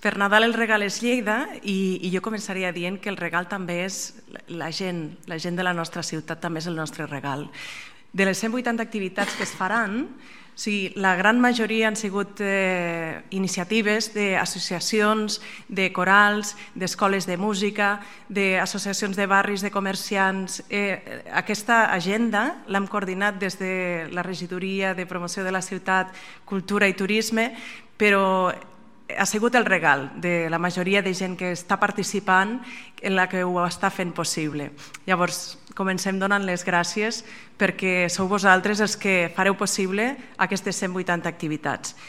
Per Nadal el regal és Lleida i jo començaria dient que el regal també és la gent de la nostra ciutat també és el nostre regal. De les 180 activitats que es faran, la gran majoria han sigut iniciatives d'associacions, de corals, d'escoles de música, d'associacions de barris, de comerciants. Aquesta agenda l'hem coordinat des de la Regidoria de Promoció de la Ciutat, Cultura i Turisme, però ha sigut el regal de la majoria de gent que està participant en la que ho està fent possible. Llavors, comencem donant les gràcies perquè sou vosaltres els que fareu possible aquestes 180 activitats.